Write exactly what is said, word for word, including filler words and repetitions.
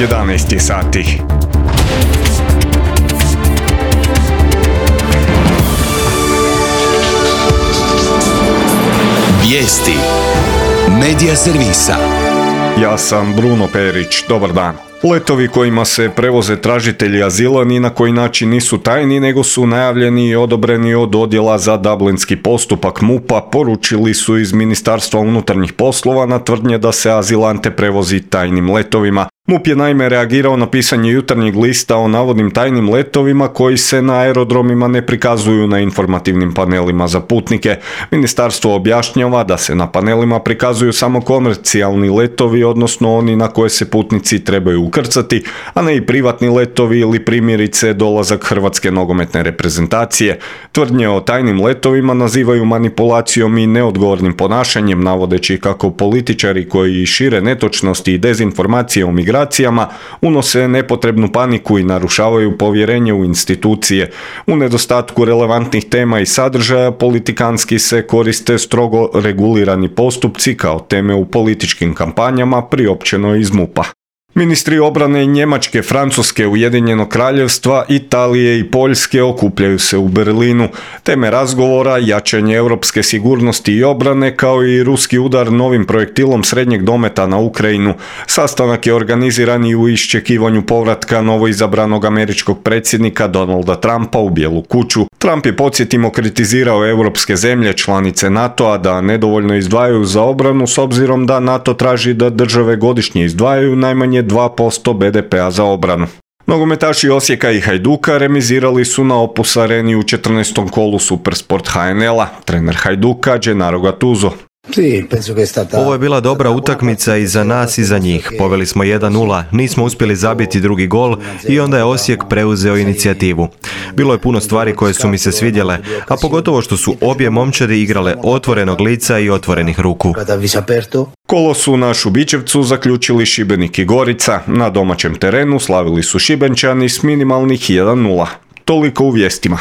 jedanaest je sati. Vijesti Medija servisa. Ja sam Bruno Perić, dobar dan. Letovi kojima se prevoze tražitelji azila ni na koji način nisu tajni, nego su najavljeni i odobreni od odjela za dublinski postupak M U P-a, poručili su iz Ministarstva unutarnjih poslova na tvrdnje da se azilante prevozi tajnim letovima. M U P je naime reagirao na pisanje Jutarnjeg lista o navodnim tajnim letovima koji se na aerodromima ne prikazuju na informativnim panelima za putnike. Ministarstvo objašnjava da se na panelima prikazuju samo komercijalni letovi, odnosno oni na koje se putnici trebaju ukrcati, a ne i privatni letovi ili primjerice dolazak hrvatske nogometne reprezentacije. Tvrdnje o tajnim letovima nazivaju manipulacijom i neodgovornim ponašanjem, navodeći kako političari koji šire netočnosti i dezinformacije o migracijama unose nepotrebnu paniku i narušavaju povjerenje u institucije. U nedostatku relevantnih tema i sadržaja politikanski se koriste strogo regulirani postupci kao teme u političkim kampanjama, priopćeno iz M U P-a. Ministri obrane Njemačke, Francuske, Ujedinjenog Kraljevstva, Italije i Poljske okupljaju se u Berlinu. Teme razgovora, jačanje europske sigurnosti i obrane, kao i ruski udar novim projektilom srednjeg dometa na Ukrajinu. Sastanak je organiziran i u iščekivanju povratka novoizabranog američkog predsjednika Donalda Trumpa u Bijelu kuću. Trump je, podsjetimo, kritizirao europske zemlje članice NATO-a da nedovoljno izdvajaju za obranu, s obzirom da NATO traži da države godišnje izdvajaju najmanje dva posto be de pea za obranu. Nogometaši Osijeka i Hajduka remizirali su na Opus Areni u četrnaestom kolu Supersport ha en el-a. Trener Hajduka, Gennaro Gattuso. Ovo je bila dobra utakmica i za nas i za njih. Poveli smo jedan nula, nismo uspjeli zabiti drugi gol i onda je Osijek preuzeo inicijativu. Bilo je puno stvari koje su mi se svidjele, a pogotovo što su obje momčadi igrale otvorenog lica i otvorenih ruku. Kolo su na Šubićevcu zaključili Šibenik i Gorica. Na domaćem terenu slavili su Šibenčani s minimalnih jedan nula. Toliko u vijestima.